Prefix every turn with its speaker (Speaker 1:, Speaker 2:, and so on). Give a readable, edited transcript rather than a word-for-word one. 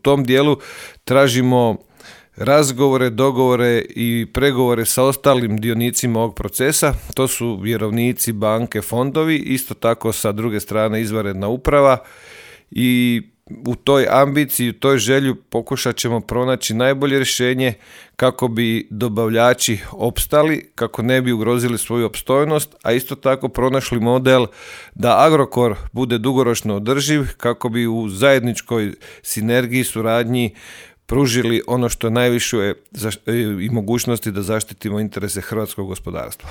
Speaker 1: tom dijelu tražimo razgovore, dogovore i pregovore sa ostalim dionicima ovog procesa. To su vjerovnici, banke, fondovi, isto tako sa druge strane izvanredna uprava i u toj ambiciji, u toj želju pokušat ćemo pronaći najbolje rješenje kako bi dobavljači opstali, kako ne bi ugrozili svoju opstojnost, a isto tako pronašli model da Agrokor bude dugoročno održiv, kako bi u zajedničkoj sinergiji, suradnji pružili ono što najviše i mogućnosti da zaštitimo interese hrvatskog gospodarstva.